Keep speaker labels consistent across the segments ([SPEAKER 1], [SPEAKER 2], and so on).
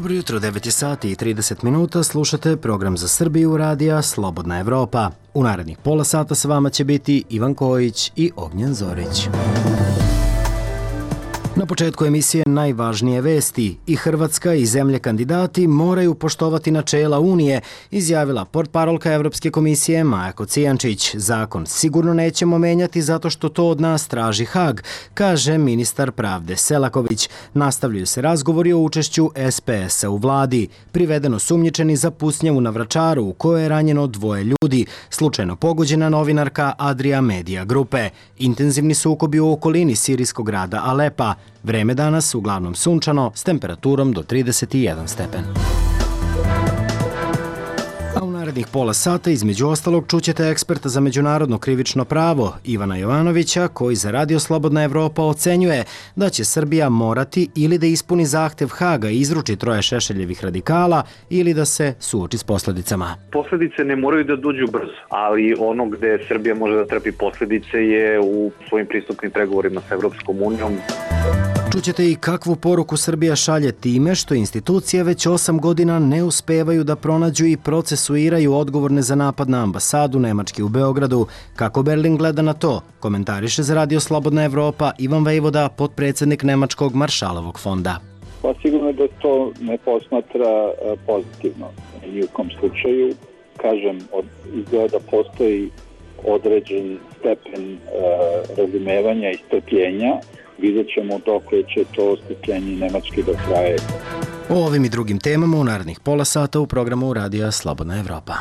[SPEAKER 1] Dobro jutro, 9 sati i 30 minuta, slušate program za Srbiju radija Slobodna Evropa. U narednih pola sata sa vama će biti Ivan Kojić i Ognjen Zorić. Na početku emisije najvažnije vesti. I Hrvatska i zemlje kandidati moraju poštovati načela Unije, izjavila portparolka Evropske komisije Maja Kocijančić. Zakon sigurno nećemo menjati zato što to od nas traži Hag, kaže ministar pravde Selaković. Nastavljaju se razgovori o učešću SPS-a u vladi. Privedeno sumnjičeni za pucnjavu na Vračaru u kojoj je ranjeno 2 ljudi, slučajno pogođena novinarka Adria Media grupe. Intenzivni sukobi u okolini sirijskog grada Alepa. Vreme danas uglavnom sunčano s temperaturom do 31 stepen. A u narednih pola sata između ostalog čućete eksperta za međunarodno krivično pravo Ivana Jovanovića koji za Radio Slobodna Evropa ocenjuje da će Srbija morati ili da ispuni zahtev Haga i izruči 3 Šešeljevih radikala ili da se suoči s posljedicama.
[SPEAKER 2] Posledice ne moraju da dođu brzo, ali ono gde Srbija može da trpi posledice je u svojim pristupnim pregovorima sa Evropskom unijom.
[SPEAKER 1] Čućete i kakvu poruku Srbija šalje time što institucije već 8 godina ne uspevaju da pronađu i procesuiraju odgovorne za napad na ambasadu Nemačke u Beogradu. Kako Berlin gleda na to, komentariše za Radio Slobodna Evropa Ivan Vejvoda, potpredsjednik Nemačkog Maršalovog fonda.
[SPEAKER 3] Pa sigurno da to ne posmatra pozitivno. Ni u kom slučaju, kažem, izgleda da postoji određen stepen razumevanja i strpljenja. Vidjet ćemo dokle će to strpljenje Nemačke da traje.
[SPEAKER 1] O ovim i drugim temama u narednih pola sata u programu Radija Slobodna Evropa.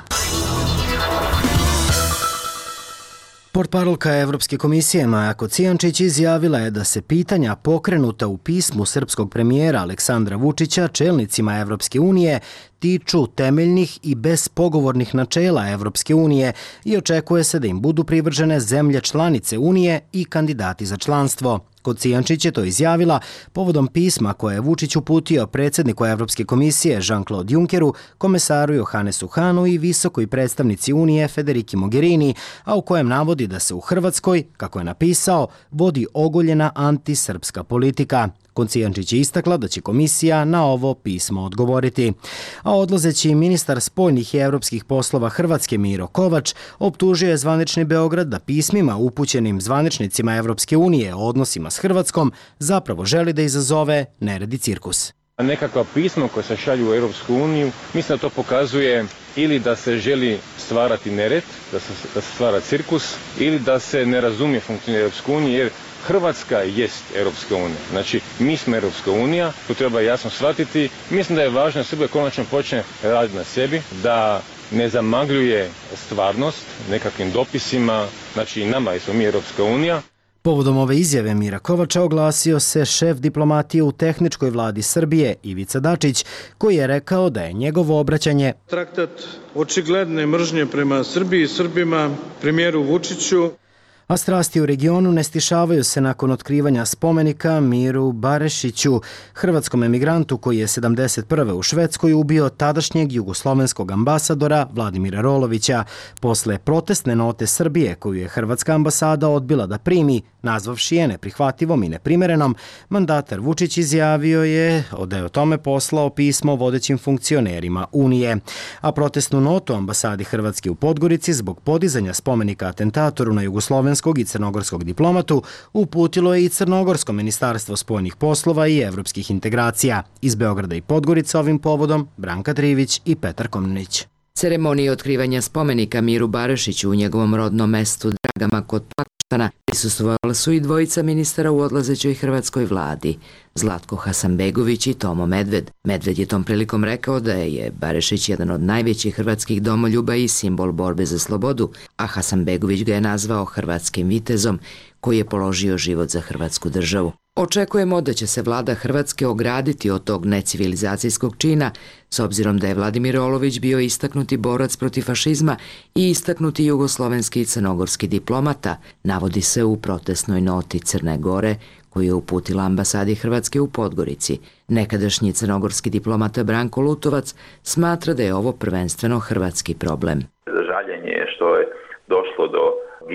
[SPEAKER 1] Portparolka Evropske komisije Maja Kocijančić izjavila je da se pitanja pokrenuta u pismu srpskog premijera Aleksandra Vučića čelnicima Evropske unije tiču temeljnih i bespogovornih načela Evropske unije i očekuje se da im budu privržene zemlje članice Unije i kandidati za članstvo. Kocijančić je to izjavila povodom pisma koje je Vučić uputio predsjedniku Evropske komisije Jean-Claude Junckeru, komesaru Johannesu Hahnu i visokoj predstavnici Unije Federiki Mogherini, a u kojem navodi da se u Hrvatskoj, kako je napisao, vodi ogoljena antisrpska politika. Kocijančić je istakla da će komisija na ovo pismo odgovoriti. A odlazeći ministar spoljnih i evropskih poslova Hrvatske Miro Kovač optužio je zvanični Beograd da pismima upućenim zvaničnicima Evropske unije o odnosima s Hrvatskom zapravo želi da izazove nered i cirkus.
[SPEAKER 4] Nekakva pisma koja se šalju u Europsku uniju, mislim da to pokazuje ili da se želi stvarati nered, da se stvara cirkus, ili da se ne razumije funkcioniranje Europske unije, jer Hrvatska jest Europska unija. Znači, mi smo Europska unija, to treba jasno shvatiti. Mislim da je važno da Srbija konačno počne raditi na sebi, da ne zamagljuje stvarnost nekakvim dopisima, znači nama smo mi Europska unija.
[SPEAKER 1] Povodom ove izjave Mira Kovača oglasio se šef diplomatije u tehničkoj vladi Srbije Ivica Dačić, koji je rekao da je njegovo obraćanje
[SPEAKER 5] traktat očigledne mržnje prema Srbiji i Srbima, premijeru Vučiću.
[SPEAKER 1] A strasti u regionu ne stišavaju se nakon otkrivanja spomenika Miru Barešiću, hrvatskom emigrantu koji je 1971. u Švedskoj ubio tadašnjeg jugoslovenskog ambasadora Vladimira Rolovića. Posle protestne note Srbije koju je hrvatska ambasada odbila da primi, nazvavši je neprihvativom i neprimerenom, mandatar Vučić izjavio je da je o tome poslao pismo vodećim funkcionerima Unije. A protestnu notu ambasadi Hrvatske u Podgorici zbog podizanja spomenika atentatoru na jugoslovenskog i crnogorskog diplomatu uputilo je i Crnogorsko ministarstvo spoljnih poslova i evropskih integracija. Iz Beograda i Podgorica ovim povodom Branka Trivić i Petar Komnenić.
[SPEAKER 6] Ceremoniji otkrivanja spomenika Miru Barešiću u njegovom rodnom mestu Dragama kod Pakoštana prisustvovali su i dvojica ministara u odlazećoj hrvatskoj vladi, Zlatko Hasanbegović i Tomo Medved. Medved je tom prilikom rekao da je Barešić jedan od najvećih hrvatskih domoljuba i simbol borbe za slobodu, a Hasanbegović ga je nazvao hrvatskim vitezom koji je položio život za hrvatsku državu. Očekujemo da će se vlada Hrvatske ograditi od tog necivilizacijskog čina, s obzirom da je Vladimir Rolović bio istaknuti borac protiv fašizma i istaknuti jugoslovenski i crnogorski diplomata, navodi se u protestnoj noti Crne Gore koju je uputila ambasadi Hrvatske u Podgorici. Nekadašnji crnogorski diplomata Branko Lutovac smatra da je ovo prvenstveno hrvatski problem.
[SPEAKER 7] Žaljenje je što je došlo do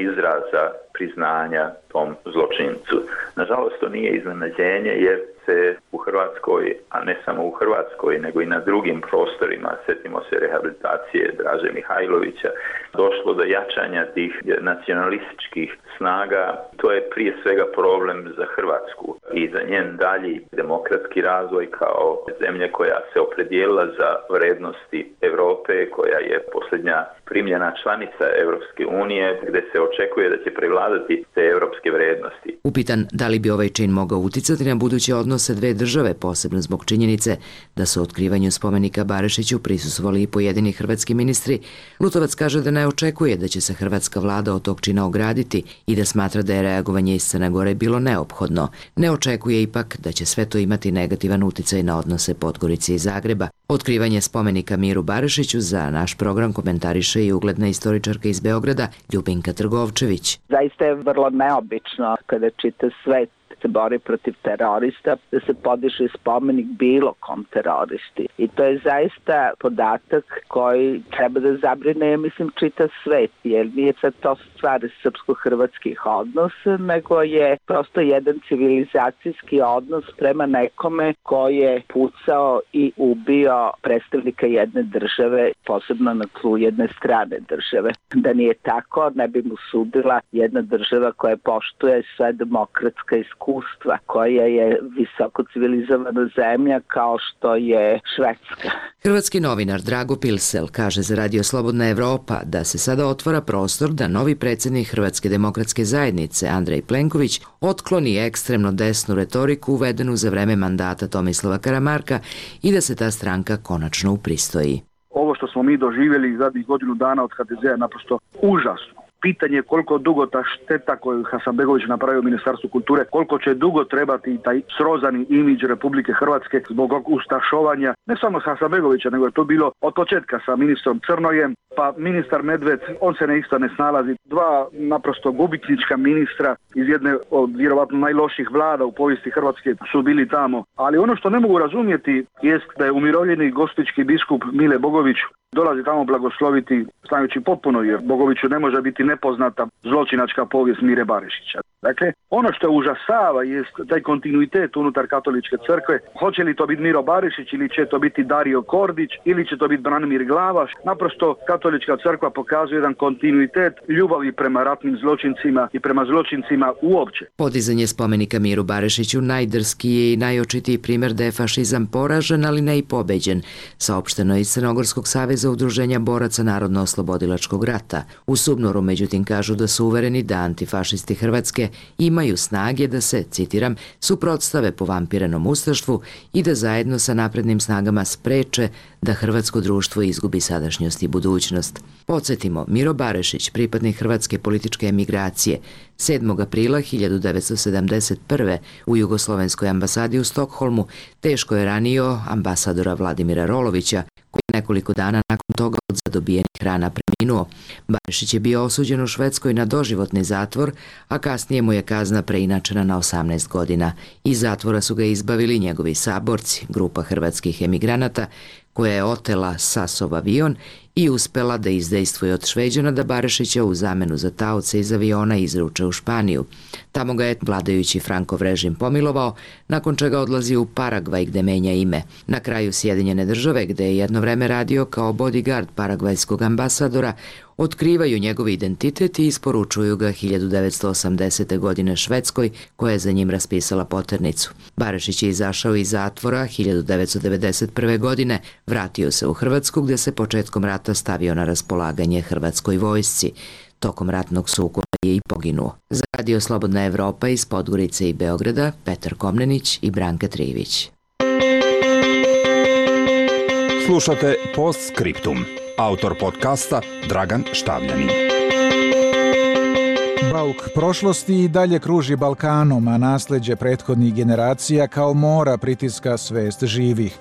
[SPEAKER 7] izraza priznanja tom zločincu. Nažalost, to nije iznenađenje jer se u Hrvatskoj Hrvatskoj, a ne samo u Hrvatskoj, nego i na drugim prostorima, sjetimo se rehabilitacije Draže Mihajlovića, došlo do jačanja tih nacionalističkih snaga. To je prije svega problem za Hrvatsku i za njen dalji demokratski razvoj kao zemlje koja se opredijelila za vrednosti Europe, koja je posljednja primljena članica Europske unije, gdje se očekuje da će prevladati te europske vrednosti.
[SPEAKER 6] Upitan da li bi ovaj čin mogao uticati na buduće odnose dve države, posebno zbog činjenice da su otkrivanju spomenika Barišiću prisustvovali i pojedini hrvatski ministri, Lutovac kaže da ne očekuje da će se hrvatska vlada od tog čina ograditi i da smatra da je reagovanje iz Crne Gore bilo neophodno. Ne očekuje ipak da će sve to imati negativan uticaj na odnose Podgorice i Zagreba. Otkrivanje spomenika Miru Barišiću za naš program komentariše i ugledna istoričarka iz Beograda Ljubinka Trgovčević.
[SPEAKER 8] Zaista je vrlo neobično kada čita svet se bori protiv terorista, da se podiže spomenik bilo kom teroristi. I to je zaista podatak koji treba da zabrine, mislim, čitav svet, jer nije sad to stvar srpsko-hrvatskih odnosa, nego je prosto jedan civilizacijski odnos prema nekome koji je pucao i ubio predstavnika jedne države, posebno na tlu jedne strane države. Da nije tako, ne bi mu sudila jedna država koja poštuje sve demokratska iskustva, koja je visoko civilizovana zemlja kao što je Švedska.
[SPEAKER 6] Hrvatski novinar Drago Pilsel kaže za Radio Slobodna Evropa da se sada otvara prostor da novi predsjednik Hrvatske demokratske zajednice Andrej Plenković otkloni ekstremno desnu retoriku uvedenu za vreme mandata Tomislava Karamarka i da se ta stranka konačno upristoji.
[SPEAKER 9] Ovo što smo mi doživjeli zadnjih godinu dana od HDZ-a je naprosto užasno. Pitanje je koliko dugo ta šteta koju Hasanbegović napravio u Ministarstvu kulture, koliko će dugo trebati taj srozani imidž Republike Hrvatske zbog ustašovanja, ne samo Hasanbegovića, nego je to bilo od početka sa ministrom Crnojem, pa ministar Medved, on se isto ne snalazi. Dva naprosto gubitnička ministra iz jedne od vjerovatno najloših vlada u povijesti Hrvatske su bili tamo. Ali ono što ne mogu razumjeti jest da je umirovljeni gospićki biskup Mile Bogović dolazi tamo blagosloviti, znajući potpuno, jer Bogoviću ne može biti nepoznata zločinačka povijest Mire Barišića. Dakle, ono što užasava jest taj kontinuitet unutar katoličke crkve. Hoće li to biti Miro Barišić ili će to biti Dario Kordić ili će to biti Branimir Glavaš. Naprosto katolička crkva pokazuje jedan kontinuitet ljubavi prema ratnim zločincima i prema zločincima uopće.
[SPEAKER 6] Podizanje spomenika Miru Barišiću najdrskiji je i najočitiji primjer da je fašizam poražen, ali ne i pobeđen, saopšteno je iz Crnogorskog saveza udruženja boraca Narodno-oslobodilačkog rata. U Subnoru, međutim, kažu da su uvereni da antifašisti Hrvatske imaju snage da se, citiram, suprotstave povampirenom ustaštvu i da zajedno sa naprednim snagama spreče da hrvatsko društvo izgubi sadašnjost i budućnost. Podsjetimo, Miro Barišić, pripadnik hrvatske političke emigracije, 7. aprila 1971. u Jugoslovenskoj ambasadi u Stokholmu teško je ranio ambasadora Vladimira Rolovića, koji nekoliko dana nakon toga od zadobijenih rana preminuo. Barišić je bio osuđen u Švedskoj na doživotni zatvor, a kasnije mu je kazna preinačena na 18 godina. Iz zatvora su ga izbavili njegovi saborci, grupa hrvatskih emigranata, koja je otela Sasov avion i uspela da izdejstvuje od Šveđana da Barišića u zamenu za taoce iz aviona izruče u Španiju. Tamo ga je vladajući Frankov režim pomilovao, nakon čega odlazi u Paragvaj gde menja ime. Na kraju Sjedinjene Države, gde je jedno vreme radio kao bodyguard paragvajskog ambasadora, otkrivaju njegov identitet i isporučuju ga 1980. godine Švedskoj, koja je za njim raspisala poternicu. Barišić je izašao iz zatvora 1991. godine, vratio se u Hrvatsku gde se početkom rata stavio na raspolaganje hrvatskoj vojsci. Tokom ratnog sukoba je i poginuo. Za Radio Slobodna Evropa iz Podgorice i Beograda, Petar Komnenić i Branka Trivić.
[SPEAKER 10] Slušate Postscriptum. Autor podcasta Dragan Štavljanin.
[SPEAKER 11] Bauk prošlosti i dalje kruži Balkanom, a nasljeđe prethodnih generacija kao mora pritiska svest živih.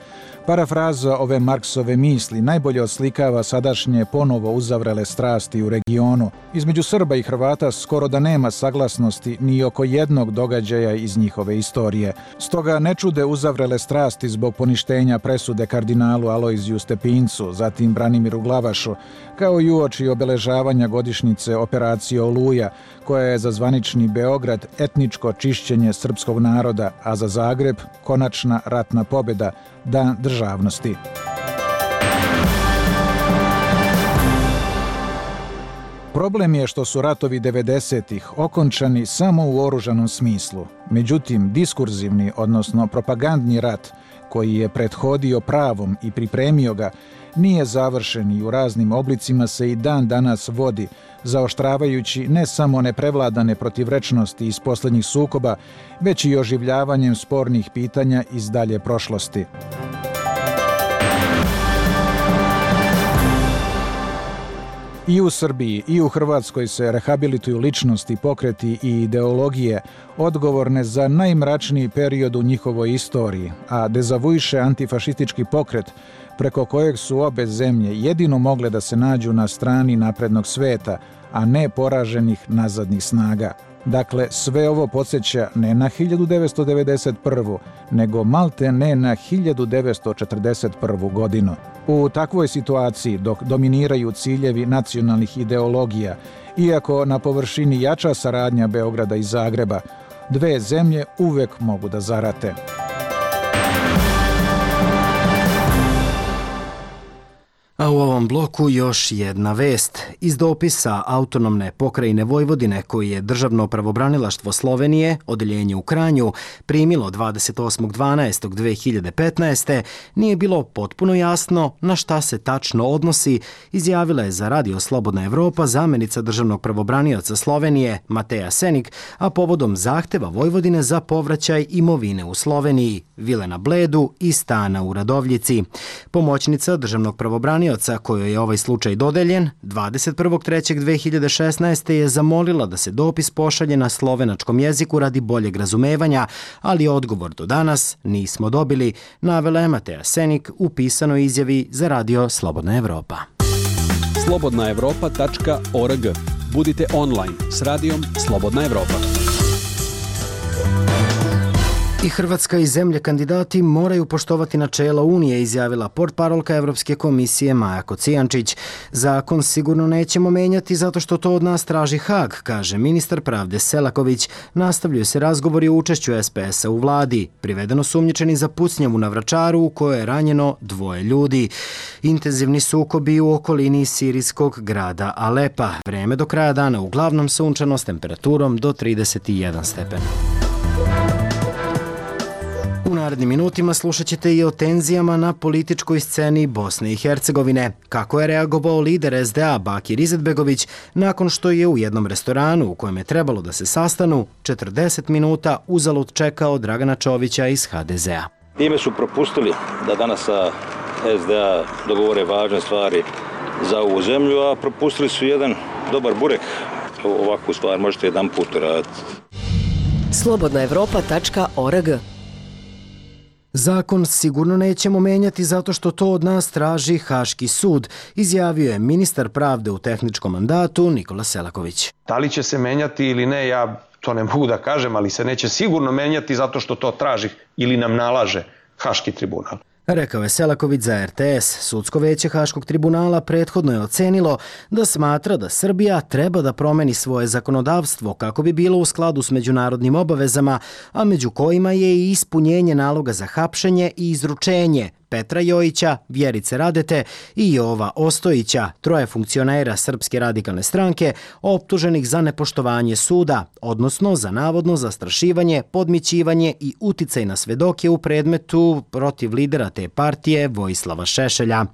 [SPEAKER 11] Parafraza ove Marksove misli najbolje oslikava sadašnje ponovo uzavrele strasti u regionu. Između Srba i Hrvata skoro da nema saglasnosti ni oko jednog događaja iz njihove istorije. Stoga ne čude uzavrele strasti zbog poništenja presude kardinalu Alojziju Stepincu, zatim Branimiru Glavašu, kao i uoči obeležavanja godišnjice operacije Oluja, koja je za zvanični Beograd etničko čišćenje srpskog naroda, a za Zagreb konačna ratna pobjeda, dan državnosti. Problem je što su ratovi 90-ih okončani samo u oružanom smislu. Međutim, diskurzivni, odnosno propagandni rat, koji je prethodio pravom i pripremio ga, nije završen i u raznim oblicima se i dan danas vodi, zaoštravajući ne samo neprevladane protivrečnosti iz posljednjih sukoba, već i oživljavanjem spornih pitanja iz dalje prošlosti. I u Srbiji i u Hrvatskoj se rehabilituju ličnosti, pokreti i ideologije odgovorne za najmračniji period u njihovoj istoriji, a dezavuiše antifašistički pokret preko kojeg su obe zemlje jedino mogle da se nađu na strani naprednog sveta, a ne poraženih nazadnih snaga. Dakle, sve ovo podsjeća ne na 1991. nego malte ne na 1941. godinu. U takvoj situaciji, dok dominiraju ciljevi nacionalnih ideologija, iako na površini jača saradnja Beograda i Zagreba, dve zemlje uvek mogu da zarate.
[SPEAKER 1] A u ovom bloku još jedna vest. Iz dopisa Autonomne pokrajine Vojvodine koji je Državno pravobranilaštvo Slovenije, odeljenje u Kranju, primilo 28.12.2015. nije bilo potpuno jasno na šta se tačno odnosi, izjavila je za Radio Slobodna Evropa zamenica Državnog pravobranioca Slovenije Mateja Senik, a povodom zahteva Vojvodine za povraćaj imovine u Sloveniji, vile na Bledu i stana u Radovljici. Pomoćnica Državnog pravobranioca kojoj je ovaj slučaj dodeljen, 21.3.2016. je zamolila da se dopis pošalje na slovenačkom jeziku radi boljeg razumevanja, ali odgovor do danas nismo dobili, navela je Mateja Senik u pisanoj izjavi za Radio Slobodna Evropa.
[SPEAKER 12] slobodnaevropa.org. Budite online s radijom Slobodna Evropa.
[SPEAKER 1] I Hrvatska i zemlje kandidati moraju poštovati načela Unije, izjavila portparolka Evropske komisije Maja Kocijančić. Zakon sigurno nećemo menjati zato što to od nas traži Hag, kaže ministar pravde Selaković. Nastavljaju se razgovori o učešću SPS-a u vladi. Privedeno sumnjičeni za pucnjavu na Vračaru u kojoj je ranjeno 2 ljudi. Intenzivni sukobi u okolini sirijskog grada Alepa. Vreme do kraja dana uglavnom sunčano s temperaturom do 31 stepen. U narednim minutima slušat ćete i o tenzijama na političkoj sceni Bosne i Hercegovine. Kako je reagovao lider SDA Bakir Izetbegović nakon što je u jednom restoranu u kojem je trebalo da se sastanu 40 minuta uzalud čekao Dragana Čovića iz HDZ-a.
[SPEAKER 13] Time su propustili da danas sa SDA dogovore važne stvari za ovu zemlju, a propustili su jedan dobar burek. Ovakvu stvar možete jedan put raditi.
[SPEAKER 14] slobodnaevropa.org.
[SPEAKER 1] Zakon sigurno nećemo menjati zato što to od nas traži Haški sud, izjavio je ministar pravde u tehničkom mandatu Nikola Selaković.
[SPEAKER 15] Da li će se menjati ili ne, ja to ne mogu da kažem, ali se neće sigurno menjati zato što to traži ili nam nalaže Haški tribunal.
[SPEAKER 1] Rekao je Selaković za RTS. Sudsko veće Haškog tribunala prethodno je ocenilo da smatra da Srbija treba da promeni svoje zakonodavstvo kako bi bilo u skladu s međunarodnim obavezama, a među kojima je i ispunjenje naloga za hapšenje i izručenje Petra Jojića, Vjerice Radete i Jova Ostojića, 3 funkcionera Srpske radikalne stranke, optuženih za nepoštovanje suda, odnosno za navodno zastrašivanje, podmićivanje i uticaj na svedoke u predmetu protiv lidera te partije Vojislava Šešelja.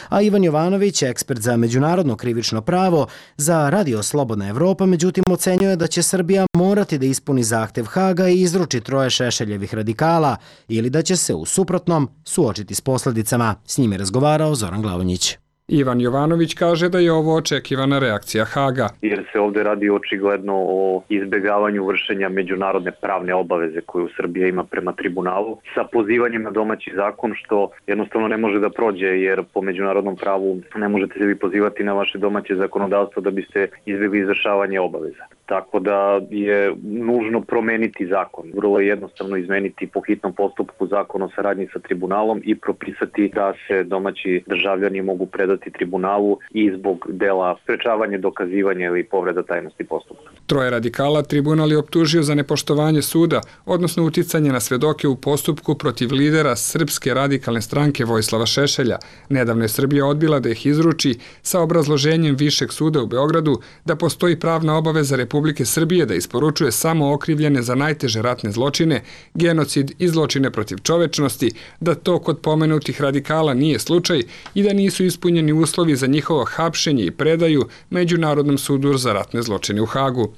[SPEAKER 1] A Ivan Jovanović, ekspert za međunarodno krivično pravo, za Radio Slobodna Evropa, međutim ocenjuje da će Srbija morati da ispuni zahtev Haga i izruči 3 Šešeljevih radikala ili da će se u suprotnom suočiti s posljedicama. S njim je razgovarao Zoran Glavonjić.
[SPEAKER 16] Ivan Jovanović kaže da je ovo očekivana reakcija Haga.
[SPEAKER 2] Jer se ovdje radi očigledno o izbjegavanju vršenja međunarodne pravne obaveze koju Srbija ima prema tribunalu sa pozivanjem na domaći zakon, što jednostavno ne može da prođe, jer po međunarodnom pravu ne možete se vi pozivati na vaše domaće zakonodavstvo da biste izbjegli izvršavanje obaveza. Tako da je nužno promeniti zakon. Vrlo je jednostavno izmeniti po hitnom postupku zakon o saradnji sa tribunalom i propisati da se domaći državljani mogu predati predati tribunalu i zbog dela sprečavanja, dokazivanja ili povreda tajnosti postupka.
[SPEAKER 16] Troje radikala tribunal je optužio za nepoštovanje suda, odnosno uticanje na svedoke u postupku protiv lidera Srpske radikalne stranke Vojislava Šešelja. Nedavno je Srbija odbila da ih izruči sa obrazloženjem Višeg suda u Beogradu da postoji pravna obaveza Republike Srbije da isporučuje samo okrivljene za najteže ratne zločine, genocid i zločine protiv čovečnosti, da to kod pomenutih radikala nije slučaj i da nisu ispunjeni uslovi za njihovo hapšenje i predaju Međunarodnom sudu za ratne zločine u Hagu.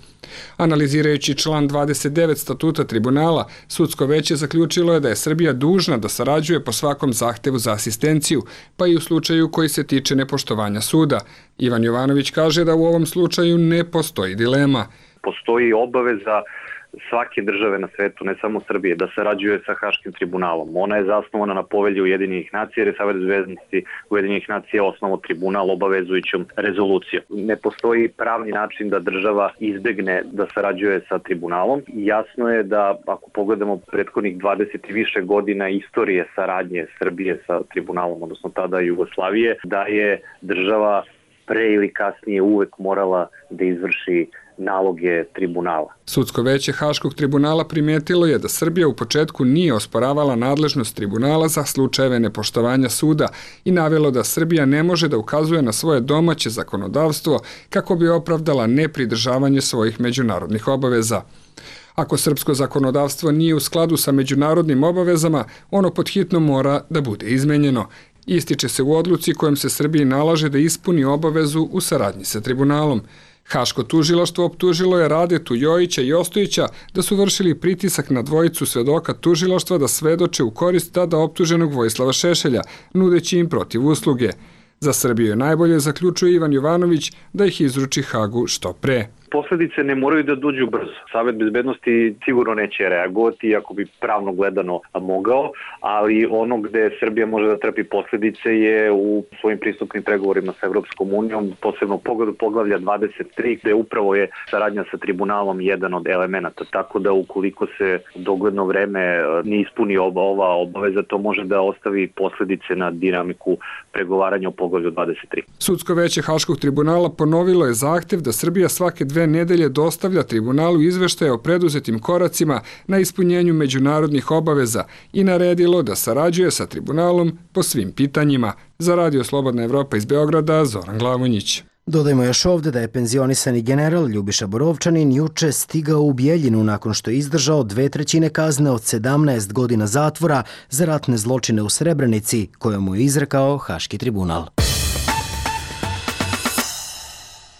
[SPEAKER 16] Analizirajući član 29 statuta tribunala, sudsko veće zaključilo je da je Srbija dužna da sarađuje po svakom zahtevu za asistenciju, pa i u slučaju koji se tiče nepoštovanja suda. Ivan Jovanović kaže da u ovom slučaju ne postoji dilema.
[SPEAKER 2] Postoji obaveza svake države na svetu, ne samo Srbije, da sarađuje sa Haškim tribunalom. Ona je zasnovana na povelji Ujedinjenih nacija, jer je Savet bezbednosti Ujedinjenih nacija osnovao tribunal obavezujućom rezolucijom. Ne postoji pravni način da država izbegne da sarađuje sa tribunalom. Jasno je da ako pogledamo prethodnih 20 i više godina istorije saradnje Srbije sa tribunalom, odnosno tada Jugoslavije, da je država pre ili kasnije uvek morala da izvrši naloge tribunala.
[SPEAKER 16] Sudsko veće Haškog tribunala primetilo je da Srbija u početku nije osporavala nadležnost tribunala za slučajeve nepoštovanja suda i navelo da Srbija ne može da ukazuje na svoje domaće zakonodavstvo kako bi opravdala nepridržavanje svojih međunarodnih obaveza. Ako srpsko zakonodavstvo nije u skladu sa međunarodnim obavezama, ono podhitno mora da bude izmenjeno. Ističe se u odluci kojom se Srbiji nalaže da ispuni obavezu u saradnji sa tribunalom. Haško tužilaštvo optužilo je Radetu Jojića i Ostojića da su vršili pritisak na dvojicu svedoka tužilaštva da svedoče u korist tada optuženog Vojislava Šešelja, nudeći im protiv usluge. Za Srbiju je najbolje, zaključuje Ivan Jovanović, da ih izruči Hagu što pre.
[SPEAKER 2] Posledice ne moraju da dođu brzo. Savet bezbednosti sigurno neće reagovati, iako bi pravno gledano mogao, ali ono gde Srbija može da trpi posledice je u svojim pristupnim pregovorima sa Evropskom unijom, posebno pogledu poglavlja 23, gde upravo je saradnja sa tribunalom jedan od elemenata. Tako da ukoliko se dogledno vreme ne ispuni ova obaveza, to može da ostavi posledice na dinamiku pregovaranja o poglavlju 23.
[SPEAKER 16] Sudsko veće Haškog tribunala ponovilo je zahtev da Srbija svake 2 nedelje dostavlja tribunalu izveštaje o preduzetim koracima na ispunjenju međunarodnih obaveza i naredilo da sarađuje sa tribunalom po svim pitanjima. Za Radio Slobodna Evropa iz Beograda, Zoran Glavonjić.
[SPEAKER 1] Dodajmo još ovde da je penzionisani general Ljubiša Borovčanin juče stigao u Bjeljinu nakon što je izdržao 2/3 kazne od 17 godina zatvora za ratne zločine u Srebrenici, koje mu je izrekao Haški tribunal.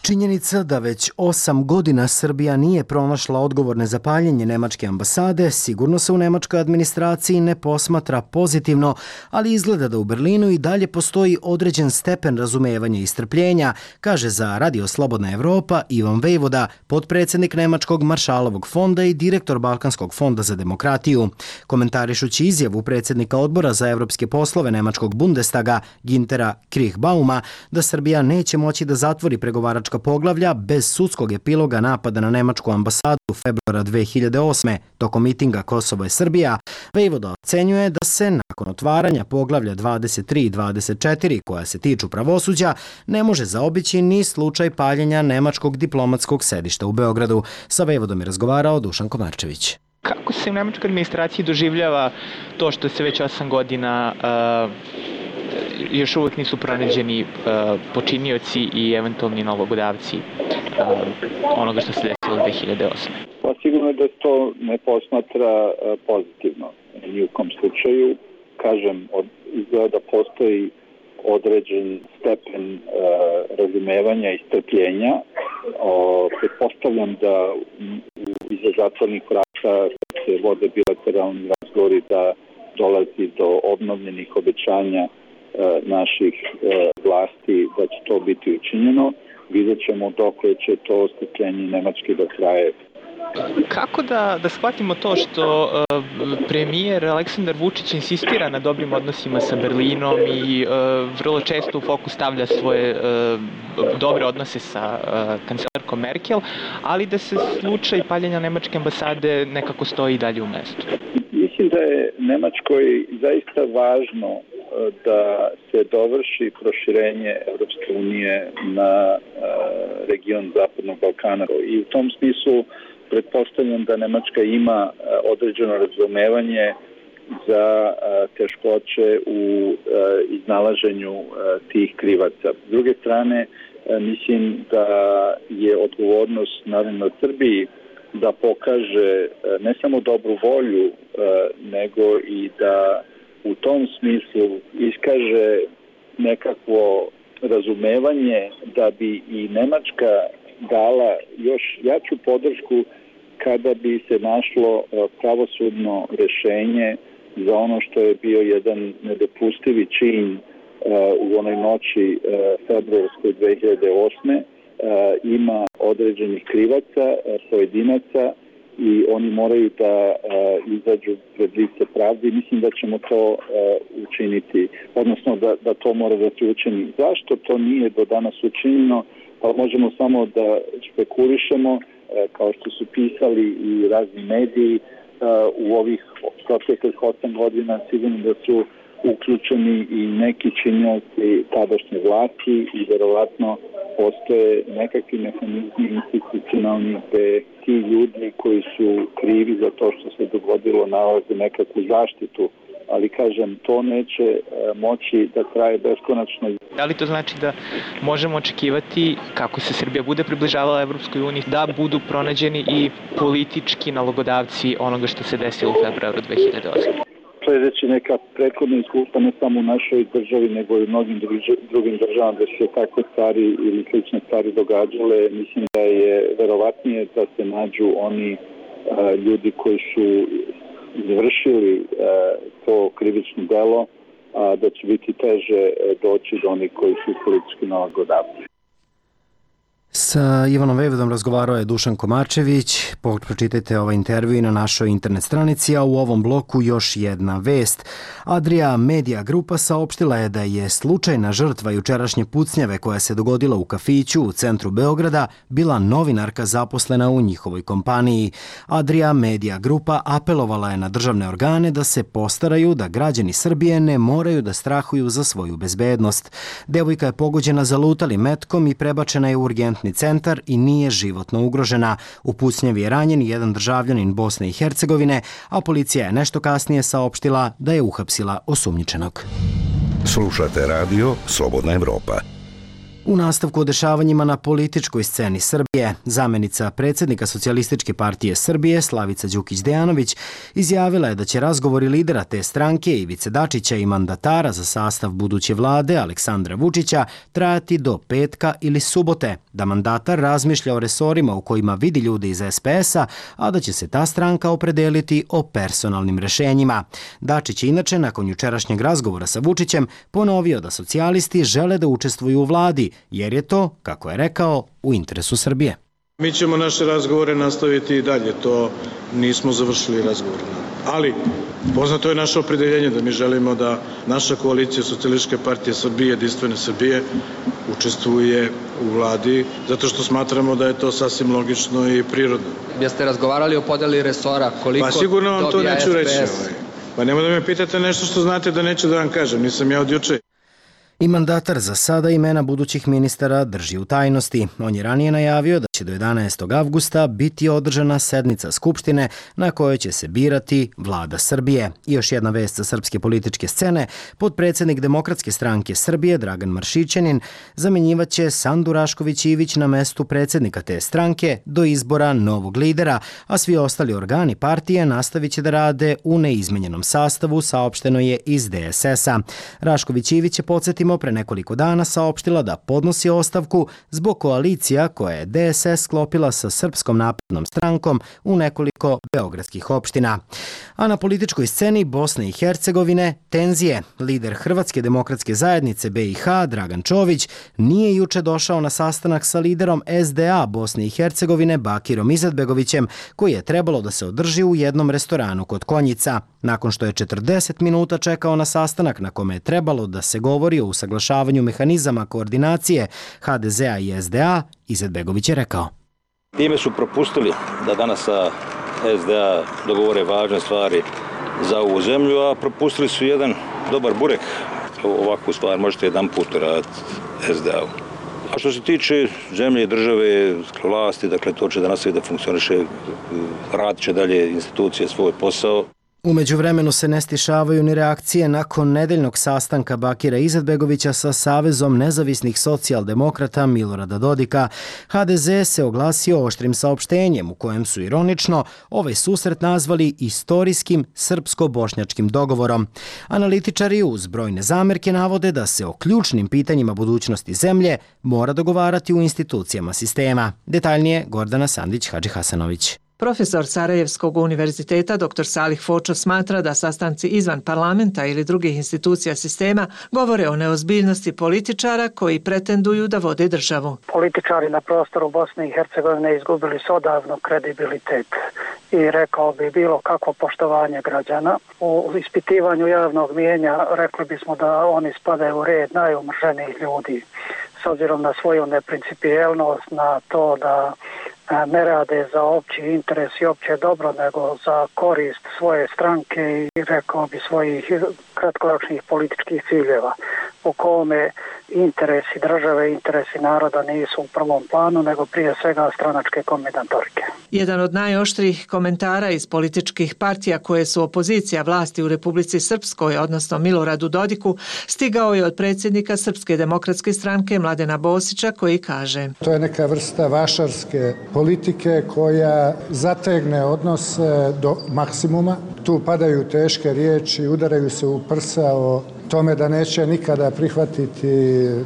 [SPEAKER 1] Činjenica da već 8 godina Srbija nije pronašla odgovorne za paljenje nemačke ambasade sigurno se u nemačkoj administraciji ne posmatra pozitivno, ali izgleda da u Berlinu i dalje postoji određen stepen razumevanja i strpljenja, kaže za Radio Slobodna Evropa Ivan Vejvoda, potpredsjednik Nemačkog Maršalovog fonda i direktor Balkanskog fonda za demokratiju. Komentarišući izjavu predsjednika odbora za evropske poslove Nemačkog Bundestaga Gintera Kriechbauma da Srbija neće moći da zatvori pregovaračka poglavlja bez sudskog epiloga napada na nemačku ambasadu u februara 2008. tokom mitinga Kosovo je Srbija, Vejvoda ocenjuje da se nakon otvaranja poglavlja 23 i 24 koja se tiču pravosuđa ne može zaobići ni slučaj paljenja nemačkog diplomatskog sedišta u Beogradu. Sa Vejvodom je razgovarao Dušan Komarčević.
[SPEAKER 14] Kako se u nemačkoj administraciji doživljava to što se već 8 godina još uvijek nisu pronađeni počinioci i eventualni nalogodavci onoga što se desilo 2008.
[SPEAKER 3] Pa sigurno je da to ne posmatra pozitivno. Ni u kom slučaju, kažem, izgleda da postoji određen stepen razumevanja i strpljenja. Pretpostavljam da iza zatvornih vrata se vode bilateralni razgovori da dolazi do obnovljenih obećanja naših vlasti da će to biti učinjeno. Vidjet ćemo dok će to strpljenje Nemačke da traje.
[SPEAKER 14] Kako da shvatimo to što premijer Aleksandar Vučić insistira na dobrim odnosima sa Berlinom i vrlo često u fokus stavlja svoje dobre odnose sa kancelarkom Merkel, ali da se slučaj paljenja nemačke ambasade nekako stoji dalje u mestu?
[SPEAKER 3] Mislim da je Nemačkoj zaista važno da se dovrši proširenje Evropske unije na region Zapadnog Balkana. I u tom smislu pretpostavljam da Nemačka ima određeno razumevanje za teškoće u iznalaženju tih krivaca. S druge strane, mislim da je odgovornost naravno Srbiji da pokaže ne samo dobru volju, nego i da u tom smislu iskaže nekakvo razumevanje da bi i Nemačka dala još jaču podršku kada bi se našlo pravosudno rešenje za ono što je bio jedan nedopustivi čin u onoj noći februarskoj 2008. Ima određenih krivaca, pojedinaca i oni moraju da izađu pred lice pravde i mislim da ćemo to učiniti, odnosno da to mora da se učini. Zašto to nije do danas učinjeno? Pa možemo samo da špekulišemo, kao što su pisali i razni mediji u ovih proteklih 8 godina, sigurno da su uključeni i neki činioci tadašnje vlasti i verovatno postoje nekakvi mehanizmi institucionalni gde ti ljudi koji su krivi za to što se dogodilo nalaze nekakvu zaštitu, ali kažem, to neće moći da traje beskonačno.
[SPEAKER 14] Da li to znači da možemo očekivati, kako se Srbija bude približavala Evropskoj uniji, da budu pronađeni i politički nalogodavci onoga što se desilo u februaru 2008?
[SPEAKER 3] Sledeći neka prethodna iskustva ne samo u našoj državi, nego i u mnogim drugim državama da se takve stvari ili slične stvari događale, mislim da je verovatnije da se nađu oni ljudi koji su izvršili to krivično delo, a da će biti teže doći do onih koji su politički nalogodavci.
[SPEAKER 1] Sa Ivanom Vejvodom razgovarao je Dušan Komačević. Pročitajte ovaj intervju i na našoj internet stranici, a u ovom bloku još jedna vest. Adria Media Grupa saopštila je da je slučajna žrtva jučerašnje pucnjave koja se dogodila u kafiću u centru Beograda bila novinarka zaposlena u njihovoj kompaniji. Adria Media Grupa apelovala je na državne organe da se postaraju da građani Srbije ne moraju da strahuju za svoju bezbednost. Devojka je pogođena zalutalim metkom i prebačena je u urgentni centar i nije životno ugrožena. U pucnjavi je ranjen jedan državljanin Bosne i Hercegovine, a policija je nešto kasnije saopštila da je uhapsila osumnjičenog.
[SPEAKER 17] Slušate radio Slobodna Evropa.
[SPEAKER 1] U nastavku o dešavanjima na političkoj sceni Srbije, zamenica predsjednika Socijalističke partije Srbije, Slavica Đukić-Dejanović, izjavila je da će razgovori lidera te stranke, Ivice Dačića, i mandatara za sastav buduće vlade, Aleksandra Vučića, trajati do petka ili subote, da mandatar razmišlja o resorima u kojima vidi ljude iz SPS-a, a da će se ta stranka opredeliti o personalnim rešenjima. Dačić je inače, nakon jučerašnjeg razgovora sa Vučićem, ponovio da socijalisti žele da učestvuju u vladi, jer je to, kako je rekao, u interesu Srbije.
[SPEAKER 5] Mi ćemo naše razgovore nastaviti i dalje, to nismo završili razgovor. Ali, poznato je naše opredeljenje da mi želimo da naša koalicija Socijalističke partije Srbije, Jedinstvene Srbije, učestvuje u vladi, zato što smatramo da je to sasvim logično i prirodno.
[SPEAKER 18] Jeste razgovarali o podeli resora, koliko
[SPEAKER 5] pa sigurno vam to neću
[SPEAKER 18] SPS?
[SPEAKER 5] reći. Pa nemoj da me pitate nešto što znate da neću da vam kažem, nisam ja od juče.
[SPEAKER 1] I mandatar za sada imena budućih ministara drži u tajnosti. On je ranije najavio da će do 11. avgusta biti održana sednica Skupštine na kojoj će se birati vlada Srbije. I još jedna vest sa srpske političke scene. Potpredsjednik Demokratske stranke Srbije, Dragan Maršićanin, zamjenjivaće Sandu Rašković-Ivić na mestu predsjednika te stranke do izbora novog lidera, a svi ostali organi partije nastavit će da rade u neizmenjenom sastavu, saopšteno je iz DSS-a. Rašković-Ivić je, podsjetimo, pre nekoliko dana saopštila da podnosi ostavku zbog koalicija koje je DSS sklopila sa Srpskom naprednom strankom u nekoliko beogradskih opština. A na političkoj sceni Bosne i Hercegovine tenzije. Lider Hrvatske demokratske zajednice BiH, Dragan Čović, nije juče došao na sastanak sa liderom SDA Bosne i Hercegovine Bakirom Izetbegovićem, koji je trebalo da se održi u jednom restoranu kod Konjica. Nakon što je 40 minuta čekao na sastanak na kome je trebalo da se govori o usaglašavanju mehanizama koordinacije HDZ-a i SDA, Izetbegović je rekao:
[SPEAKER 13] Time su propustili da danas sa SDA dogovore važne stvari za ovu zemlju, a propustili su jedan dobar burek ovakvu stvar možete jedan put raditi SDA-u. A što se tiče zemlje, države, vlasti, dakle to će da nastavi da funkcioniše, radit će dalje institucije svoj posao.
[SPEAKER 1] U međuvremenu se ne stišavaju ni reakcije nakon nedeljnog sastanka Bakira Izetbegovića sa Savezom nezavisnih socijaldemokrata Milorada Dodika. HDZ se oglasio oštrim saopštenjem u kojem su ironično ovaj susret nazvali istorijskim srpsko-bošnjačkim dogovorom. Analitičari uz brojne zamerke navode da se o ključnim pitanjima budućnosti zemlje mora dogovarati u institucijama sistema. Detaljnije Gordana Sandić-Hadžihasanović.
[SPEAKER 19] Profesor Sarajevskog univerziteta dr. Salih Fočo smatra da sastanci izvan parlamenta ili drugih institucija sistema govore o neozbiljnosti političara koji pretenduju da vode državu.
[SPEAKER 20] Političari na prostoru Bosne i Hercegovine izgubili su odavno kredibilitet i rekao bi bilo kakvo poštovanje građana. U ispitivanju javnog mijenja rekli bismo da oni spadaju u red najumrženijih ljudi s obzirom na svoju neprincipijelnost, na to da ne rade za opći interes i opće dobro, nego za korist svoje stranke i rekao bi svojih kratkoročnih političkih ciljeva, u kome interesi države, interesi naroda nisu u prvom planu, nego prije svega stranačke kombinatorike.
[SPEAKER 19] Jedan od najoštrijih komentara iz političkih partija koje su opozicija vlasti u Republici Srpskoj, odnosno Miloradu Dodiku, stigao je od predsjednika Srpske demokratske stranke Mladena Bosića koji kaže:
[SPEAKER 21] To je neka vrsta vašarske politike koja zategne odnose do maksimuma. Tu padaju teške riječi, udaraju se u prsa o tome da neće nikada prihvatiti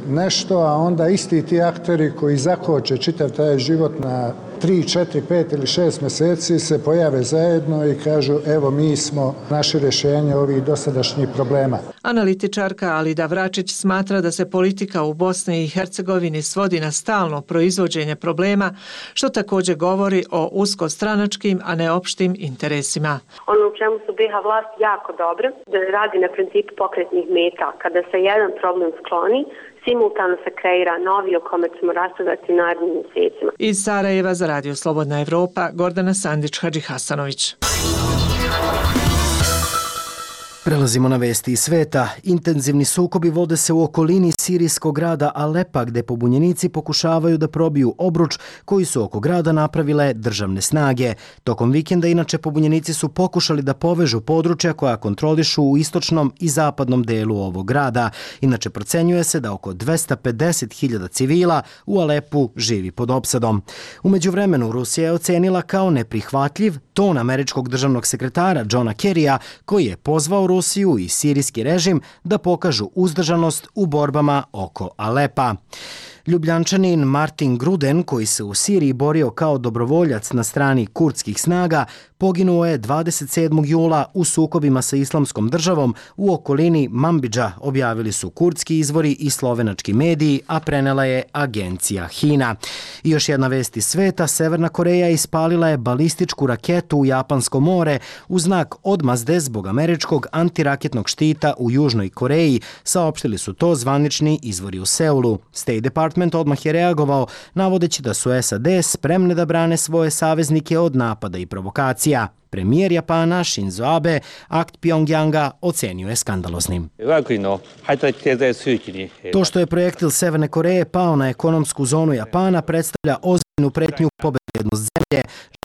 [SPEAKER 21] nešto, a onda isti ti akteri koji zakoče čitav taj život na 3, 4, 5 ili 6 mjeseci se pojave zajedno i kažu evo mi smo naše rješenje ovih dosadašnjih problema.
[SPEAKER 19] Analitičarka Alida Vračić smatra da se politika u Bosni i Hercegovini svodi na stalno proizvođenje problema, što također govori o uskostranačkim, a ne opštim interesima.
[SPEAKER 22] Ono u čemu su BiH vlast jako dobre, da radi na principu pokretnih meta. Kada se jedan problem skloni, simultano se kreira novi o kome ćemo raspravljati narednim mjesecima.
[SPEAKER 19] Iz Sarajeva za Radio Slobodna Evropa, Gordana Sandić-Hadžihasanović.
[SPEAKER 1] Prelazimo na vesti iz sveta. Intenzivni sukobi vode se u okolini sirijskog grada Alepa, gde pobunjenici pokušavaju da probiju obruč koji su oko grada napravile državne snage. Tokom vikenda, inače, pobunjenici su pokušali da povežu područja koja kontrolišu u istočnom i zapadnom delu ovog grada. Inače, procenjuje se da oko 250.000 civila u Alepu živi pod opsadom. U međuvremenu, Rusija je ocenila kao neprihvatljiv ton američkog državnog sekretara Johna Kerrya, koji je pozvao Rusiju i sirijski režim da pokažu uzdržanost u borbama oko Alepa. Ljubljančanin Martin Gruden, koji se u Siriji borio kao dobrovoljac na strani kurdskih snaga, poginuo je 27. jula u sukobima sa Islamskom državom u okolini Manbidža, objavili su kurdski izvori i slovenački mediji, a prenela je agencija HINA. I još jedna vest iz sveta, Severna Koreja ispalila je balističku raketu u Japansko more u znak odmazde zbog američkog antiraketnog štita u Južnoj Koreji, saopštili su to zvanični izvori u Seulu. State Department odmah je reagovao, navodeći da su SAD spremne da brane svoje saveznike od napada i provokacija. Premijer Japana Shinzo Abe akt Pjongjanga ocenio je skandaloznim. To što je projektil Severne Koreje pao na ekonomsku zonu Japana predstavlja ozbiljnu pretnju po bezbednost zemlje.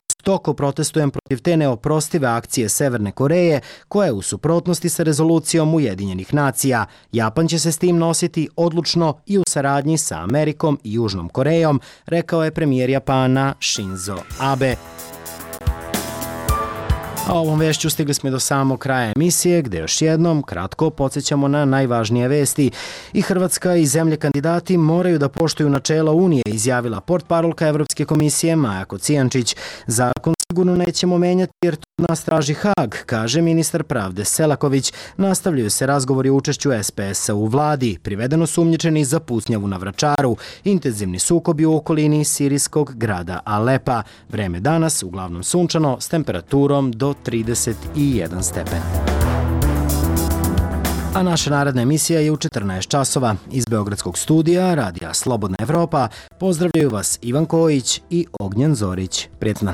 [SPEAKER 1] Žestoko protestujem protiv te neoprostive akcije Severne Koreje, koja je u suprotnosti sa rezolucijom Ujedinjenih nacija. Japan će se s tim nositi odlučno i u saradnji sa Amerikom i Južnom Korejom, rekao je premijer Japana Shinzo Abe. A ovom vešću stigli smo do samog kraja emisije, gde još jednom kratko podsjećamo na najvažnije vesti. I Hrvatska i zemlje kandidati moraju da poštuju načela Unije, izjavila portparolka Evropske komisije Maja Kocijančić. Zakon sigurno nećemo menjati jer to od nas traži Hag, kaže ministar pravde Selaković. Nastavljaju se razgovori o učešću SPS-a u vladi. Privedeno su umnjičeni za pucnjavu na Vračaru. Intenzivni sukobi u okolini sirijskog grada Alepa. Vreme danas uglavnom sunčano s temperaturom do 31 stepen. A naša naredna emisija je u 14 časova. Iz Beogradskog studija Radija Slobodna Evropa pozdravljaju vas Ivan Kojić i Ognjen Zorić. Prijetno.